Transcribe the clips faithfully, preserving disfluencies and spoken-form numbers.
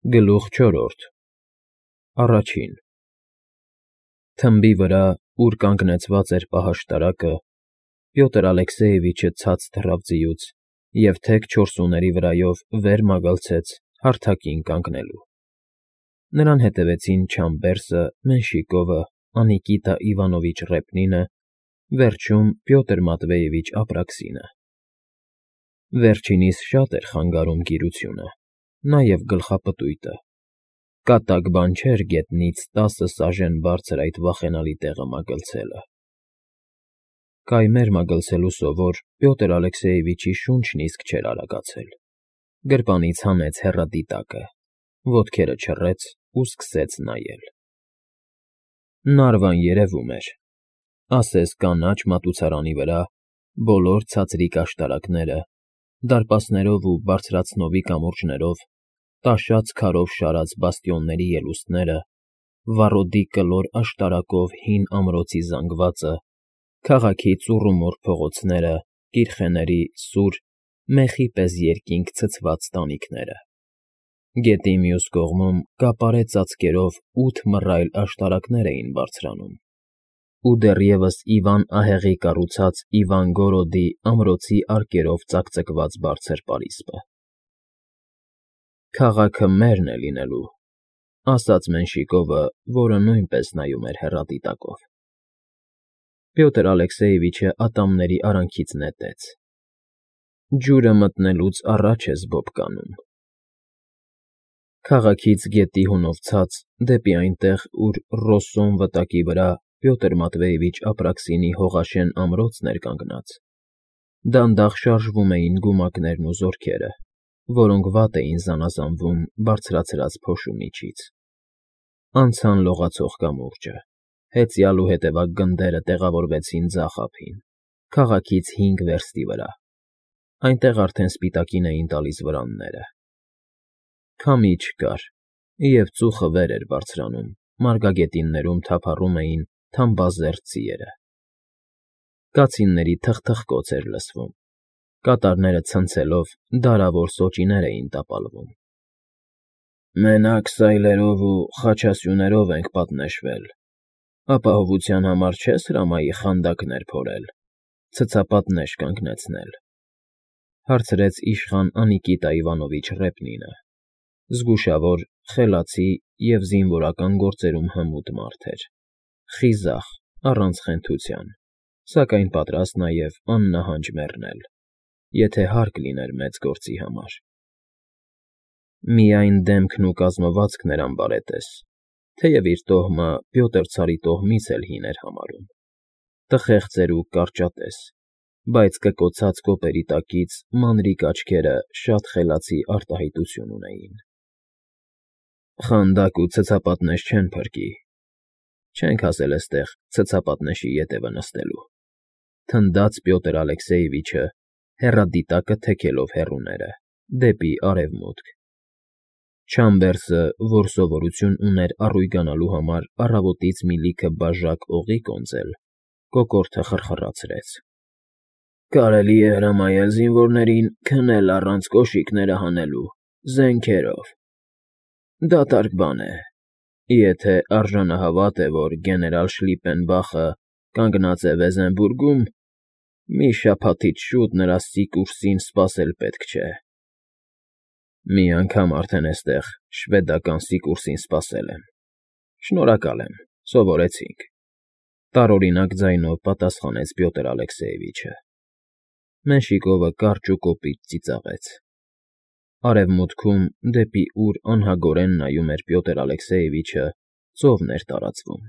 Գլուխ չորրորդ Առաջին Թմբի վրա, ուր կանգնեցված էր պահաշտարակը, Պյոտր Ալեքսեևիչը ցած թռավ ձիուց և թեք չորսուների վրայով վեր մագլցեց հարթակին կանգնելու. նրան հետևեցին Չամբերսը, Մենշիկովը, Անիկիտա Իվանովիչ Ռեպնինը, վերջում Պյոտր Մատվեևիչ Ապրաքսինը. վերջինիս շատ էր խանգարում գիրությունը, նաև գլխապտույտը, կատակ բան չէր գետնից տասը սաժեն բարձր այդ վախենալի տեղը մագլցելը. կայմեր մագլցելու սովոր Պյոտր Ալեքսեևիչի շունչն իսկ չէր արագացել, գրպանից հանեց հեռադիտակը, ոտքերը չռեց ու սկսեց նայել. Նարվան երևում էր, ասես կանաչ մատուցարանի վրա, բոլոր ցածրիկ աշտարակները, դարպասներով ու բարձրացնովի կամուրջներով, տաշած քարով շարած բաստիոնների ելուստները, վառոդի կլոր աշտարակով հին ամրոցի զանգվածը, քաղաքի ծուռումուռ փողոցները, կիրխեների սուր, մեխի պես երկինք ցցված տանիքները. գետի մյուս կողմում կապարե ծածկերով ութ մռայլ աշտարակներ էին բարձրանում, ու դեռևս Իվան ահեղի կառուցած Իվանգորոդի ամրոցի արկերով ծակծկված բարձր պարիսպը։ Քաղաքը մերն է լինելու, ասաց Մենշիկովը, որը նույնպես նայում էր հեռադիտակով։ Պյոտր Ալեքսեևիչը ատամների արանքից նետեց. ջուրը մտնելուց առաջ ես բոբկանում։ Քաղաքից գետի հունով ցած, դեպի այնտեղ, ուր Ռոսոն վտակի վրա Պյոտր Մատվեևիչ Ապրաքսինի հողաշեն ամրոցն էր կանգնած, դանդաղ շարժվում էին գումակներն ու զորքերը, որոնք վատ էին զանազանվում բարձրացրած փոշու միջից. անցան լողացող կամուրջը, հեծյալ ու հետևակ գնդերը տեղավորվեցին ձախ ափին, քաղաքից հինգ վերստի վրա, այնտեղ արդեն սպիտակին էին տալիս վրանները. քամի չկար, և ծուխը վեր էր բարձրանում, մարգագետիններում թափառում էին թամբազերծ ձիերը. կացինների թխթխկոց էր լսվում, կատարները ցնցելով դարավոր սոճիներ էին տապալվում։ Մենակ սայլերով ու խաչասյուներով ենք պատնեշվել, ապահովության համար չես հրամայի խանդակներ փորել, ցցապատնեշ կանգնեցնել, հարցրեց իշխան Անիկիտա Իվանովիչ Ռեպնինը, զգուշավոր, խելացի և զինվորական գործերում հմուտ մարդ էր, խիզախ, առանց խենթության, սակայն պատրաստ նաև աննահանջ մեռնել, եթե հարկ լիներ մեծ գործի համար։ Միայն դեմքն ու կազմվածքն էր անբարետես, թեև իր տոհմը Պյոտր ցարի տոհմից էլ հին էր համարում, տխեղծ էր ու կարճատես, բայց կկոցած կոպերի տակից մանրիկ աչքերը շատ խելացի արտահայտություն ունեին։ Խանդակ ու ցցապատնեշ չեն փրկի, չենք հասել էստեղ ցցապատնեշի ետևը նստելու, թնդաց Պյոտր Ալեքսեևիչը, հեռադիտակը թեքելով հեռուները, դեպի արևմուտք։ Չամբերսը, որ սովորություն ուներ առույգանալու համար առավոտից մի լիքը բաժակ օղի կոնծել, կոկորդը խրխռացրեց. Կարելի է հրամայել զինվորներին քնել առանց կոշիկները հանելու, զենքերով։ Դատարկ բան է, եթե արժանահավատ է, որ գեներալ Շլիպենբախը կանգնած է Վեզենբուրգում, մի շաբաթից շուտ նրա Սիկուրսին սպասել պետք չէ։ Մի անգամ արդեն էստեղ շվեդական Սիկուրսին սպասել եմ, շնորհակալ եմ, սովորեցինք, տարօրինակ ձայնով պատասխանեց Պյոտր Ալեքսեևիչը։ Մենշիկովը կարճ ու կոպիտ ծիծաղեց։ Արևմուտքում, դեպի ուր անհագորեն նայում էր Պյոտր Ալեքսեևիչը, ծովն էր տարածվում,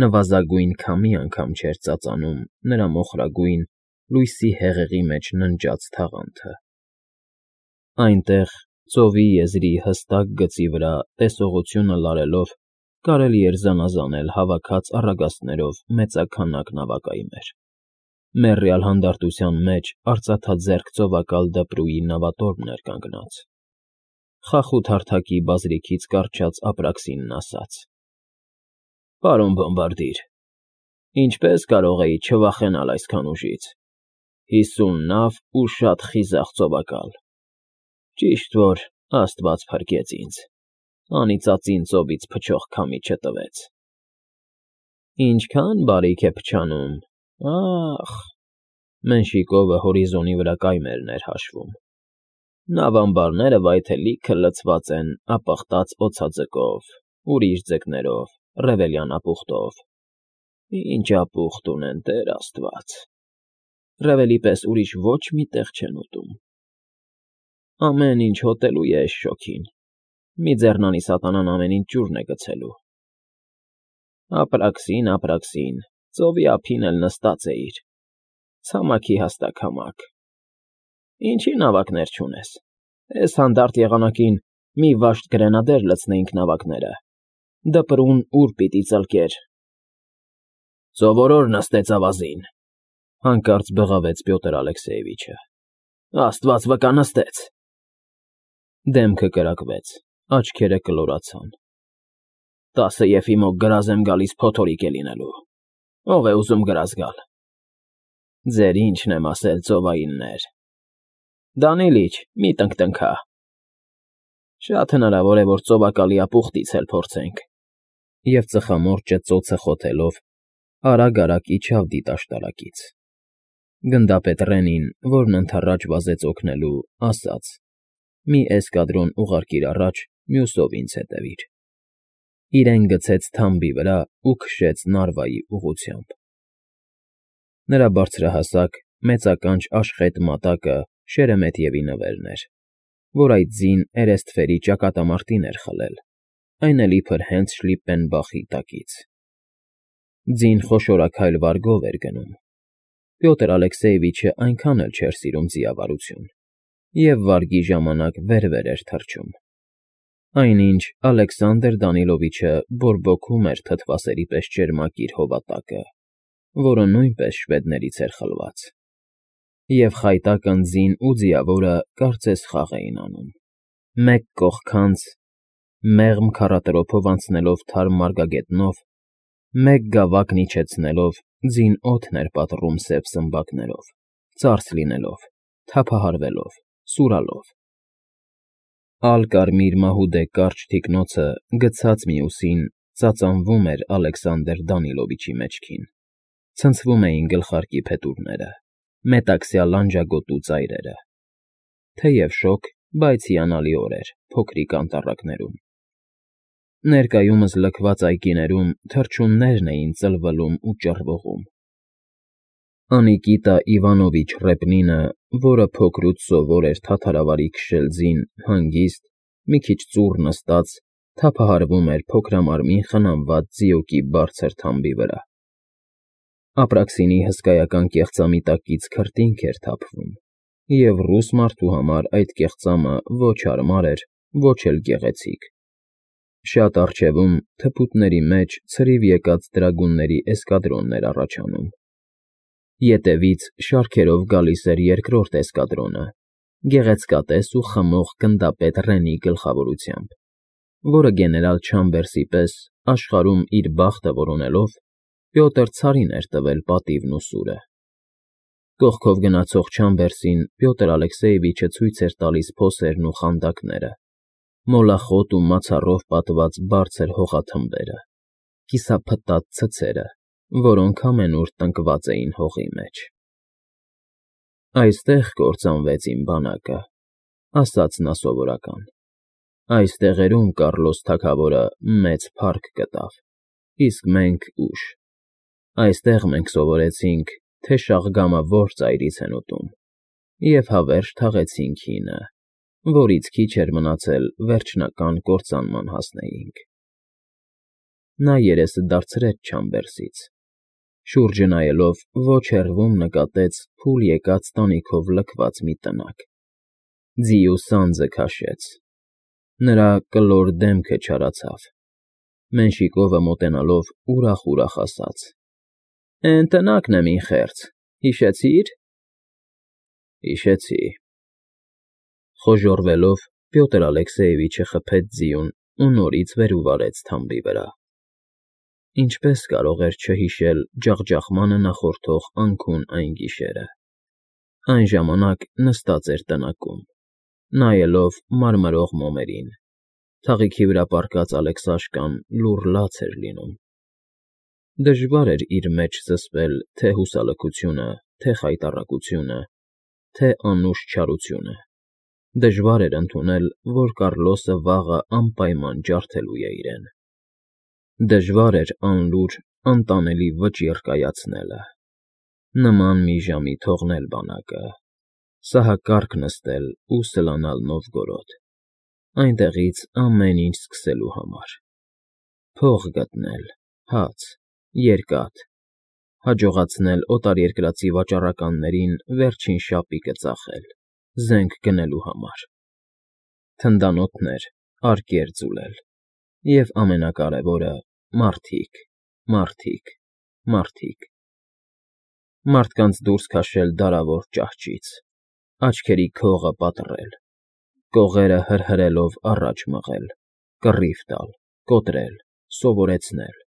նվազագույն քամի անգամ չէր ծածանում նրա մոխրագույն, լույսի հեղեղի մեջ ննջած թաղանթը։ Այնտեղ, ծովի եզրի հստակ գծի վրա տեսողությունը լարելով, կարելի էր զանազանել հավաքած առագաստներով մեծաքանակ նավակայմեր, մեռյալ հանդարտության մեջ արծաթաձեռք ծովակալ դպրուի նավատորմն էր կանգնած։ Խախուտ հարթակի բազրիքից կառչած Ապրաքսինն ասաց. Պարոն բոմբարդիր, ինչպես կարող էի չվախենալ այսքան ուժից, հիսուն նավ ու շատ խիզախ ծովակալ, ճիշտ որ Աստված փրկեց ինձ։ անիծածին ծովից փչող քամի չտվեց։ Ինչքան բարիք է փչանում, ախ… Մենշիկովը հորիզոնի վրա կայմերն էր հաշվում։ Նավամբարները վայթելիքը լցված են ապխտած օձաձկով, ուրիշ ձկներով, ռևելյան ապուխտով։ Ինչ ապուխտ ունեն, Տեր Աստված… Ռևելի պես ուրիշ ոչ մի տեղ չեն ուտում։ Ամեն ինչ հոտելու է էս շոգին, մի ձեռնանի սատանան ամեն ինչ ջուրն է գցելու։ Ապրաքսին, ապրաքսին, ծովի ափին էլ նստած էիր, ցամաքի հաստաքամակ։ Ինչի նավակներ չունես, էս հանդարտ եղանակին մի վաշտ գրենադեր լցնեինք նավակները, դպրուն ուր պիտի ծլկեր։ Սովորոր նստեց ավազին, հանկարծ բղավեց Պյոտր Ալեքսեևիչը։ Աստված վկա նստեց։ Դեմքը կրակվեց, աչքերը կլորացան։ Տասը եփի մոկ գրազ եմ գալիս փոթորիկ է լինելու։ Ո՞վ է ուզում գրազ գալ։ Ձեր ինչն եմ ասել, ծովայիններ։ Դանիլիչ, մի տնկտնքա։ Շատ հնարավոր է, որ ծովակալի ապուխտից էլ փորձենք։ Եվ ծխամորճը ծոցը խոթելով արագ֊արագ իջավ դիտաշտարակից։ Գնդապետ Ռենին, որն ընդառաջ վազեց օգնելու, ասաց. մի էսկադրոն ուղարկիր առաջ, մյուսով ինձ հետևիր։ Իրեն գցեց թամբի վրա ու քշեց Նարվայի ուղղությամբ։ Նրա բարձրահասակ, մեծականջ աշխետ մատակը Շերեմեթևի նվերն էր, որ այդ ձին էրեստվերի ճակատամարտին էր խլել, այն էլ իբր հենց Շլիպպենբախի տակից։ Ձին խոշորաքայլ վարգով էր գնում։ Պյոտր Ալեքսեևիչը այնքան էլ չէր սիրում ձիավարություն, և վարգի ժամանակ վեր֊վեր էր թռչում։ Այնինչ Ալեքսանդր Դանիլովիչը բորբոքում էր թթվասերի պես ճերմակ իր հովատակը, որը նույնպես շվեդներից էր խլված։ Եվ խայտակն ձին ու ձիավորը կարծես խաղ էին անում։ Մեկ կողքանց, մեղմ քառատրոփով անցնելով թարմ մարգագետնով, մեկ գավակն իջեցնելով, ձին օդն էր պատռում սև սմբակներով, ծարս լինելով, թափահարվելով, սուրալով։ Ալ֊կարմիր մահուդե կարճ թիկնոցը գցած մյուսին ծածանվում էր Ալեքսանդր Դանիլովիչի մեջքին, ցնցվում էին գլխարկի փետուրները, մետաքսյա լանջագոտու ծայրերը։ Թեև շոգ, բայց հիանալի օրեր փոքրիկ անտառակներում։ Ներկայումս լքված այգիներում թռչուններն էին ծլվլում ու ճռվողում։ Անիկիտա Իվանովիչ Ռեպնինը, որը փոքրուց սովոր էր թաթարավարի քշել ձին հանգիստ, մի քիչ ծուռ նստած, թափահարվում էր փոքրամարմին խնամված ձիուկի բարձր թամբի վրա։ Ապրաքսինի հսկայական կեղծամիտակից քրտինք էր թափվում, և ռուս մարդու համար այդ կեղծամը ոչ հարմար էր, ոչ էլ գեղեցիկ։ Շատ առջևում, թփուտների մեջ ցրիվ եկած դրագունների էսկադրոնն էր առաջանում։ Ետևից շարքերով գալիս էր երկրորդ էսկադրոնը, գեղեցկատես ու խմող գնդապետ Ռենի գլխավորությամբ, որը գեներալ Չամբերսի պես աշխարհում իր բախտը որոնելով, Պյոտր ցարին էր տվել պատիվն ու սուրը։ Կողքով գնացող Չամբերսին Պյոտր Ալեքսեևիչը ցույց էր տալիս փոսերն ու խանդակները, մոլախոտ ու մացառով պատված բարձր հողաթմբերը, կիսափտած ցցերը, որոնք ամենուր տնկված էին հողի մեջ։ Այստեղ կործանվեց իմ բանակը, ասաց նա սովորական։ Այս տեղերում Կառլոս թագավորը մեծ փառք գտավ, իսկ մենք ուշ։ Այստեղ մենք սովորեցինք, թե շաղգամը որ ծայրից են ուտում, և հավերժ թաղեցինք հինը, որից քիչ էր մնացել վերջնական կործանման հասնեինք։ Նա երեսը դարձրեց Չամբերսից, շուրջը նայելով ոչ հեռվում նկատեց փուլ եկած տանիքով լքված մի տնակ։ Ձիու սանձը քաշեց։ Նրա կլոր դեմքը չարացավ։ Մենշիկովը մոտենալով ուրախ֊ուրախ ասաց. Էն տնակն եմ, ին խեղճ, հիշեցի՞ր։ Հիշեցի։ Խոժոռվելով Պյոտր Ալեքսեևիչը խփեց ձիուն ու նորից վեր ու վարեց թամբի վրա։ Ինչպես կարող էր չհիշել ջախջախմանը նախորդող անքուն այն գիշերը։ Այն ժամանակ նստած էր տնակում, նայելով մարմրող մոմերին, Թաղիքի վրա պառկած Ալեքսաշկան լուռ լաց էր լինում։ Դժվար էր իր մեջ զսպել թե՛ հուսալքությունը, թե՛ խայտառակությունը, թե՛ անուշ չարությունը, դժվար էր ընդունել, որ Կառլոսը վաղը անպայման ջարդելու է իրեն։ Դժվար էր անլուր, անտանելի վճիռ կայացնելը, նման մի ժամի թողնել բանակը, սահակարգ նստել ու սլանալ Նովգորոդ, այնտեղից ամեն ինչ սկսելու համար, փող գտնել, հաց, երկաթ, հաջողացնել օտարերկրացի վաճառականներին վերջին շապիկը ծախել, զենք գնելու համար, թնդանոթներ,արկեր ձուլել և, ամենակարևորը, մարդիկ, մարդիկ, մարդիկ, մարդկանց դուրս քաշել դարավոր ճահճից, աչքերի քողը պատռել, կողերը հրհրելով առաջ մղել, կռիվ տալ, կոտրել, սովորեցնել,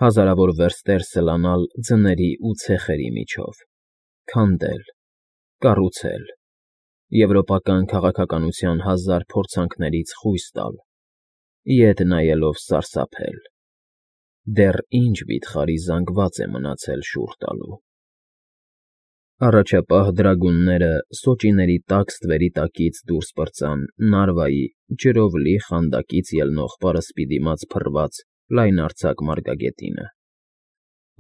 հազարավոր վերստեր սլանալ ձների ու ցեխերի միջով, քանդել, կառուցել, եվրոպական քաղաքականության հազար փորձանքներից խույս տալ, ետ նայելով սարսափել. դեռ ինչ վիթխարի զանգված է մնացել շուռ տալու։ Առաջապահ դրագունները սոճիների տաք ստվերի տակից դուրս պրծան Նարվայի ջրով լի խանդակից ելնող պարսպի դիմաց փռված լայնարձակ մարգագետինը։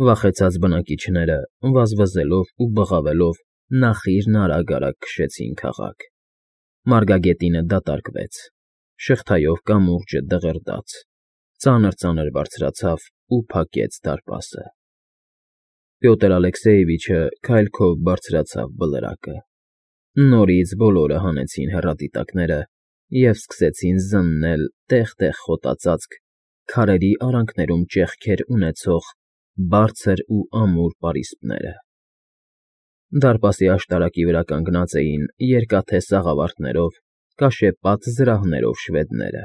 Վախեցած բնակիչները, վազվզելով ու բղավելով, նախիրն արագ֊արագ քշեցին քաղաք։ Մարգագետինը դատարկվեց, շղթայով կամուրջը դղրդաց, ծանր֊ծանր բարձրացավ ու փակեց դարպասը։ Պյոտր Ալեքսեևիչը քայլքով բարձրացավ բլրակը։ Նորից բոլորը հանեցին հեռադիտակները և սկսեցին զննել տեղ֊տեղ խոտածածկ, քարերի արանքներում ճեղքեր ունեցող բարձր ու ամուր պարիսպները։ Դարպասի աշտարակի վրա կանգնած էին երկաթե սաղավարտներով, կաշեպատ զրահներով շվեդները։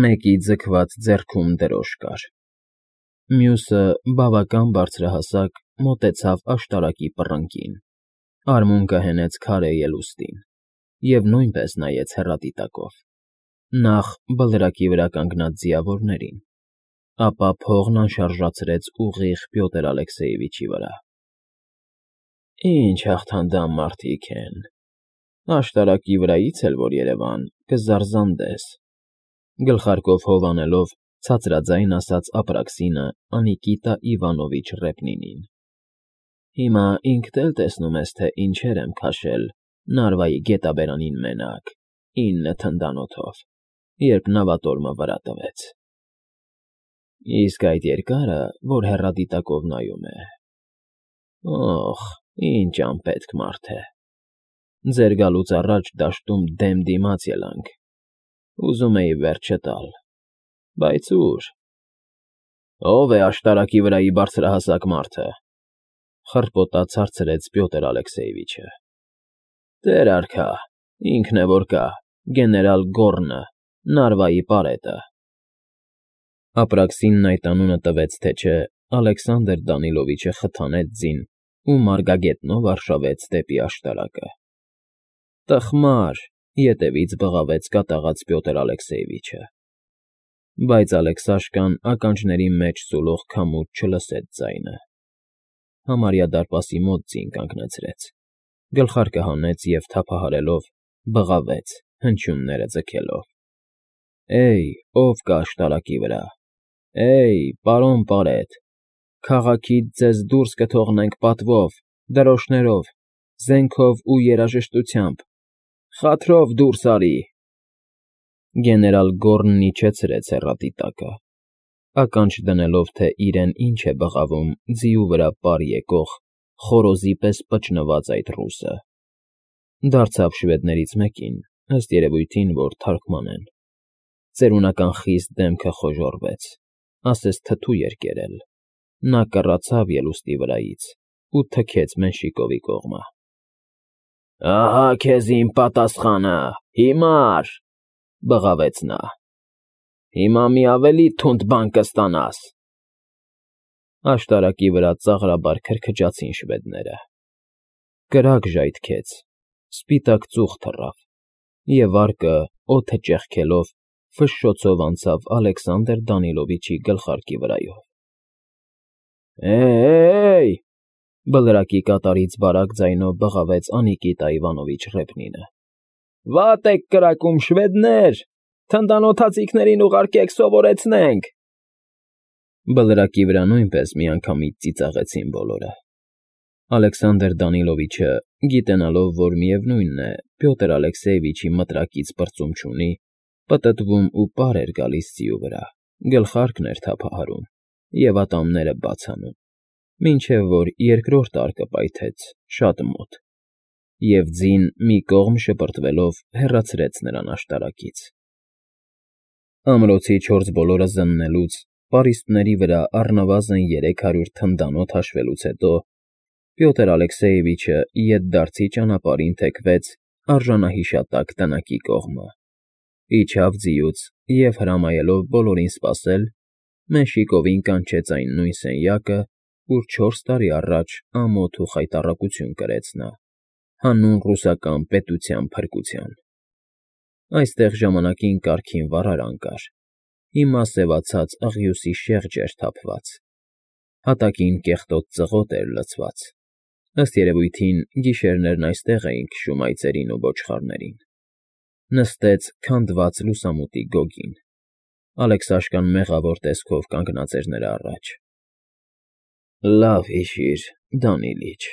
Մեկի ձգված ձեռքում դրոշ կար։ Մյուսը, բավական բարձրահասակ, մոտեցավ աշտարակի պռնկին, արմունկը հենեց քարե ելուստին և նույնպես նայեց հեռադիտակով, նախ բլրակի վրա կանգնած ձիավորներին, ապա փողն անշարժացրեց ուղիղ Պյոտր Ալեքսեևիչի վրա։ Ինչ հաղթանդամ մարդիկ են, աշտարակի վրայից էլ որ երևան, կզարզանդես,֊ գլխարկով հով անելով, ցածրաձայն ասաց Ապրաքսինը Անիկիտա Իվանովիչ Ռեպնինին։ Հիմա ինքդ էլ տեսնում ես, թե ինչեր եմ քաշել Նարվայի գետաբերանին մենակ, ինը թնդանոթով, երբ նավատորմը վրա տվեց։ Իսկ այդ երկարը, որ հեռադիտակով նայում է… Օխ, ինչ անպետք մարդ է… Ձեր գալուց առաջ դաշտում դեմ դիմաց ելանք, ուզում էի վերջը տալ, բայց ու՞ր… Ո՞վ է աշտարակի վրայի բարձրահասակ մարդը,֊ խռպոտաց հարցրեց Պյոտր Ալեքսեևիչը։ Տեր արքա, ինքն է որ կա, գեներալ Գոռնը, Նարվայի պարետը։ Ապրաքսինն այդ անունը տվեց թե չէ, Ալեքսանդր Դանիլովիչը խթանեց ձին ու մարգագետնով արշավեց դեպի աշտարակը։ Տխմար,֊ ետևից բղավեց կատաղած Պյոտր Ալեքսեևիչը։ Բայց Ալեքսաշկան ականջների մեջ սուլող քամուց չլսեց ձայնը։ Համարյա դարպասի մոտ ձին կանգնեցրեց, գլխարկը հանեց և թափահարելով, բղավեց, հնչյունները ձգելով. Էյ, ով կա աշտարակի վրա, էյ, պարոն պարետ, քաղաքից ձեզ դուրս կթողնենք պատվով, դրոշներով, զենքով ու երաժշտությամբ, խաթրով դուրս արի… Գեներալ Գոռնն իջեցրեց հեռադիտակը, ականջ դնելով, թե իրեն ինչ է բղավում ձիու վրա պար եկող, խորոզի պես պճնված այդ ռուսը, դարձավ շվեդներից մեկին, ըստ երևույթին, որ թարգմանեն, ծերունական խիստ դեմքը խոժոռվեց, ասես թթու էր կերել, նա կռացավ ելուստի վրայից ու թքեց Մենշիկովի կողմը։ Ահա քեզ իմ պատասխանը, հիմա՜ր,֊ բղավեց նա,֊ հիմա մի ավելի թունդ բան կստանաս… Աշտարակի վրա ծաղրաբար քրքջացին շվեդները։ Կրակ ժայթքեց, սպիտակ ծուխ թռավ, Եվ վարկը, օդը ճեղքելով, ֆշշոցով անցավ Ալեքսանդր Դանիլովիչի գլխարկի վրայով։ Է՜յ,֊ բլրակի կատարից բարակ ձայնով բղավեց Անիկիտա Իվանովիչ Ռեփնինը։ Վատ եք կրակում, շվեդներ, թնդանոթացիքներին ուղարկեք սովորեցնենք։ Բլրակի վրա նույնպես միանգամից ծիծաղեցին բոլորը։ Ալեքսանդր Դանիլովիչը, գիտենալով, որ միևնույնն է, Պյոտր Ալեքսեևիչի մտրակից պրծում չունի, պտտվում ու պար էր գալիս ձիու վրա, գլխարկն էր թափահարում և ատամները բաց անում, մինչև որ երկրորդ արկը պայթեց շատ մոտ, և ձին մի կողմ շպրտվելով հեռացրեց նրան աշտարակից։ Ամրոցի չորս բոլորը զննելուց, պարիսպների վրա առնվազն երեք հարյուր թնդանոթ հաշվելուց հետո Պյոտր Ալեքսեևիչը ետդարձի ճանապարհին թեքվեց արժանահիշատակ տնակի կողմը, իջավ ձիուց և, հրամայելով բոլորին սպասել, Մենշիկովին կանչեց այն նույն սենյակը, ուր չորս տարի առաջ ամոթ ու խայտառակություն կրեց նա, հանուն ռուսական պետության փրկության։ Այստեղ ժամանակին կարգին վառարան կար, հիմա սևացած աղյուսի շեղջ էր թափված, հատակին կեղտոտ ծղոտ էր լցված, ըստ երևույթին գիշերներն այստեղ էին քշում այծերին ու ոչխարներին։ Նստեց քանդված լուսամուտի գոգին, Ալեքսաշկան մեղավոր տեսքով կանգնած էր նրա առաջ։ Լավ հիշիր, Դանիլիչ,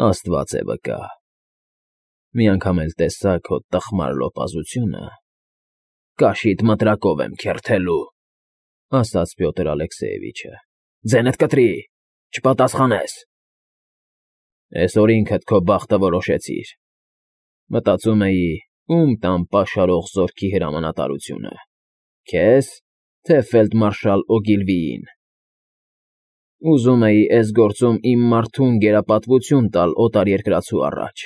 Աստված է վկա, մի անգամ էլ տեսա քո տխմար լոպազությունը, կաշիդ մտրակով եմ քերթելու, ասաց Պյոտր Ալեքսեևիչը։ Ձենդ կտրի, չպատասխանես։ Էսօր ինքդ քո բախտը որոշեցիր։ Մտածում էի, ում տամ պաշարող զորքի հրամանատարությունը, քեզ, թե ֆելդմարշալ Օգիլվիին։ Ուզում էի էս գործում իմ մարդուն գերապատվություն տալ օտարերկրացու առաջ։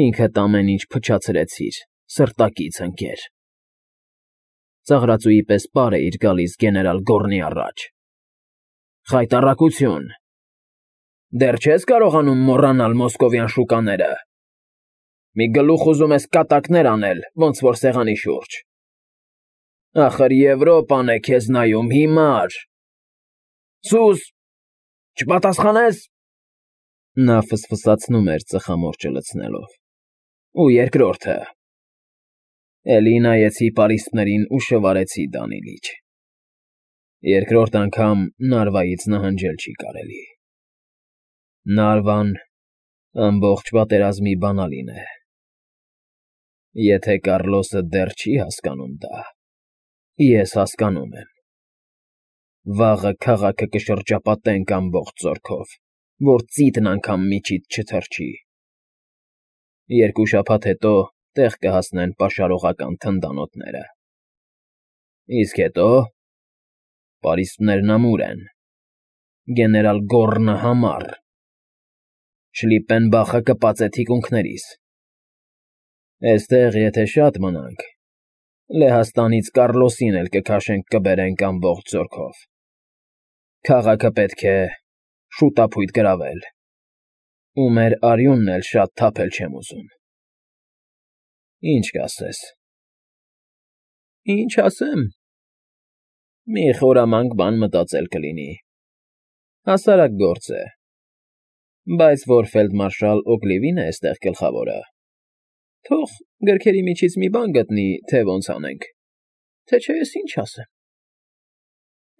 Ինքդ ամեն ինչ փչացրեցիր, սրտակից ընկեր։ Ծաղրածուի պես պար էիր գալիս գեներալ Գոռնի առաջ։ Խայտառակություն։ Դեռ չես կարողանում մոռանալ մոսկովյան շուկաները։ Մի գլուխ ուզում ես կատակներ անել, ոնց որ սեղանի շուրջ։ Ախր Եվրոպան է քեզ նայում, հիմար։ Սուս, չպատասխանես։ Նա ֆսֆսացնում էր ծխամորճը լցնելով։ Ու երկրորդը։ Էլի նայեցի պարիսպներին ու շվարեցի Դանիլիչ։ Երկրորդ անգամ Նարվայից նահանջել չի կարելի։ Նարվան ամբողջ պատերազմի բանալին է։ Եթե Կառլոսը դեռ չի հասկանում դա, ես հասկանում եմ։ Վաղը քաղաքը կշրջապատենք ամբողջ զորքով, որ ծիծն անգամ միջիդ չթռչի։ Երկու շաբաթ հետո տեղ կհասնեն պաշարողական թնդանոթները։ Իսկ հետո… պարիսպներն ամուր են, գեներալ Գոռնը համառ, Շլիպպենբախը կպած է թիկունքներիս։ Էստեղ եթե շատ մնանք, Լեհաստանից Կառլոսին էլ կքաշենք կբերենք ամբողջ զորքով։ Քաղաքը պետք է շուտափույթ գրավել, ու մեր արյունն էլ շատ թափել չեմ ուզում։ Ինչ կասես։ Ինչ ասեմ։ Մի խորամանկ բան մտածել կլինի։ Հասարակ գործ է։ Բայց որ ֆելդմարշալ Օգլիվին է էստեղ գլխավորը, թող գրքերի միջից մի բան գտնի, թե ոնց անենք, թե չէ ես ինչ ասեմ։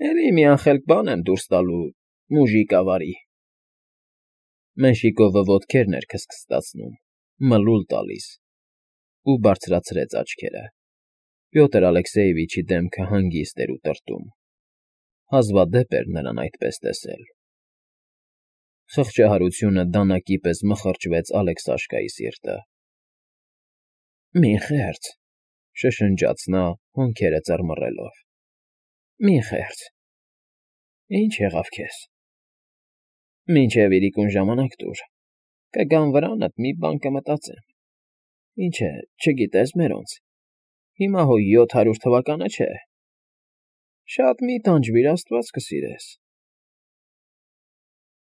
Էլի մի անխելք բան եմ դուրս տալու, մուժիկ ավարի։ Մենշիկովը ոտքերն էր քստքստացնում, մլուլ տալիս, ու բարձրացրեց աչքերը։ Պյոտր Ալեքսեևիչի դեմքը հանգիստ էր ու տրտում։ Հազվադեպ էր նրան այդպես տեսել։ Խղճահարությունը դանակի պես մխրճվեց Ալեքսաշկայի սիրտը։ Մի խեղճ, շշնջաց նա, հոնքերը ծռմռելով։ Մի խեղճ։ Ինչ եղավ քեզ։ Մինչև իրիկուն ժամանակ տուր, կգամ վրանդ, մի բան կմտածեմ։ Ինչ է, չգիտես մերոնց։ Հիմա հո յոթ հարյուր թվականը չէ։ Շատ մի տանջվիր, Աստված կսիրես։